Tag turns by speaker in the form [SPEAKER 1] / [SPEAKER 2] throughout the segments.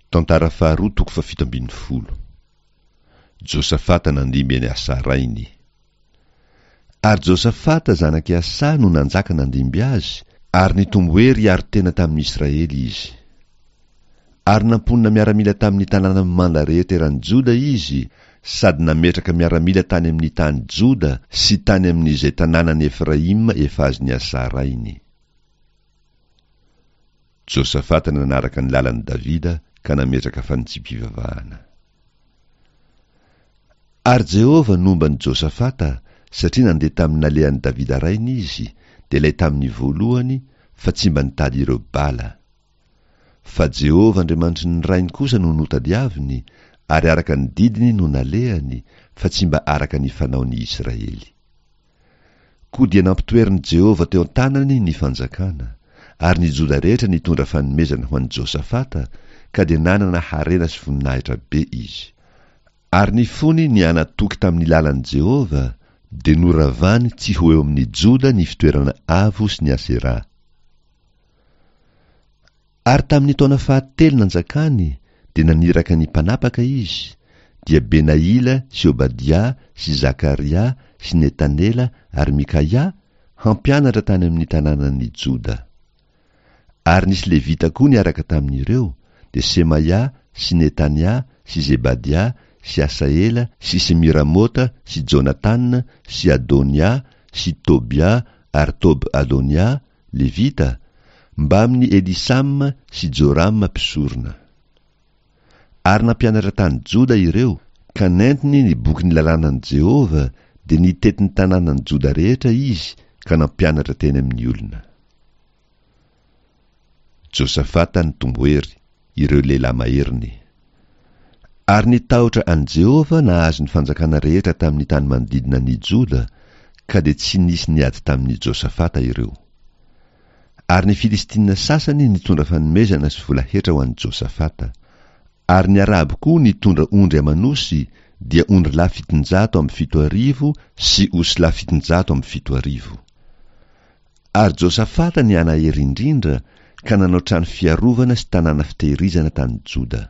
[SPEAKER 1] Tantara faharoa toko fahafito ambin'ny folo. Josafata nandimby an'i Asa rainy. Ary Josafata zanak'i Asa no nanjaka nandimby azy, ary nitombo hery hiaro tena tamin'ny Israely izy. Ary namponina miaramila tamin'ny tanàna mimanda rehetra eran'i Joda izy, sady nametraka miaramila tany amin'ny tany Joda sy tany amin'izay tanànan'i Efraima efa azon'i Asa rainy. Josafata nanaraka ny lalan'i Davida ka nametraka fanitsiam-pivavahana. Ary Jehovah nomba an'i Josafata, satria nandeha tamin'ny nalehan'i Davida rainy izy, dia ilay tamin'ny voalohany, fa tsy mba nitady ireo Bala. Fa Jehovah Andriamanitry ny rainy kosa no notadiaviny, ary araka ny didiny no nalehany, fa tsy mba araka ny fanaon'ny Israely. Koa dia nampitoerin'i Jehovah teo an-tanany ny fanjakana, ary ny Joda rehetra nitondra fanomezana ho an'i Josafata, ka dia nanana harena sy voninahitra be izy. Ary ny fony nihanatoky tamin'ny lalan'i Jehovah, dia noravany tsy ho eo amin'ny Joda ny fitoerana avo sy ny Aseraha. Ary tamin'ny taona fahatelo nanjakany dia naniraka ny mpanapaka izy, dia Benaila sy Obadia sy Zakaria sy Netanela ary Mikaia, hampianatra tany amin'ny tanànan'i Joda. Ary nisy Levita koa niaraka tamin'ireo, dia Semaia sy Netania sy Zebadia sy Asaela sy Semiramota sy Jonatana sy Adonia sy Tobia ary Tob-Adonia, Levita, mbamin'i Elisama sy Jorama mpisorona. Ary nampianatra tany Joda ireo, ka nentiny ny bokin'ny lalànan'i Jehovah, dia nitety ny tanànan'i Joda rehetra izy ka nampianatra teny amin'ny olona. Josafata nitombo hery, ireo lehilahy maheriny. Ary ny tahotra an'i Jehovah nahazo ny fanjakana rehetra tamin'ny tany manodidina an'i Joda, ka dia tsy nisy niady tamin'i Josafata ireo. Ary ny Filistina sasany nitondra fanomezana sy vola hetra ho an'i Josafata. Ary ny Arabo koa nitondra ondry aman'osy, dia ondrilahy 77 sy osilahy 77. Ary Josafata nihanahery indrindra ka nanao trano fiarovana sy tanàna fitehirizana tany Joda.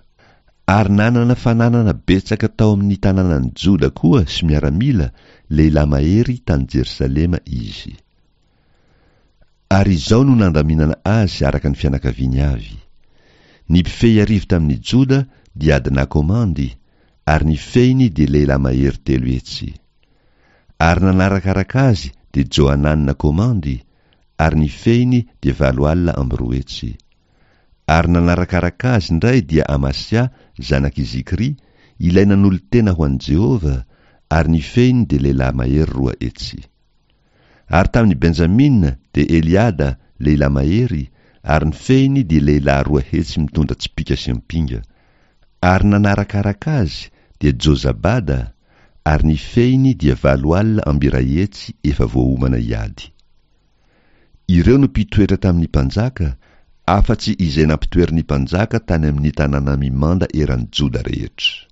[SPEAKER 1] Ary nanana fananana betsaka tao amin'ny tanànan'i Joda koa sy miaramila, lehilahy mahery tany Jerosalema izy. Ary izao no nandaminana azy araka ny fianakaviany avy. Ny mpifehy arivo tamin'i Joda dia Adna komandy, ary ny fehiny dia lehilahy mahery 300. Ary nanarakaraka azy dia Johanana komandy, ary ny fehiny dia 280. Ary nanarakaraka azy indray dia Amasia zanak'i Zikry, ilay nanolo-tena ho an'i Jehovah, ary ny fehiny dia lehilahy mahery 200. Ary tamin'i Benjamina dia Eliada, lehilahy mahery, ary ny fehiny dia lehilahy 200 mitondra tsipìka sy ampinga. Ary nanarakaraka azy dia Jozabada, ary ny fehiny dia 180 efa voaomana hiady. Ireo no mpitoetra tamin'ny mpanjaka, afa-tsy izay nampitoerin'ny mpanjaka tany amin'ny tanàna mimanda eran'i Joda rehetra.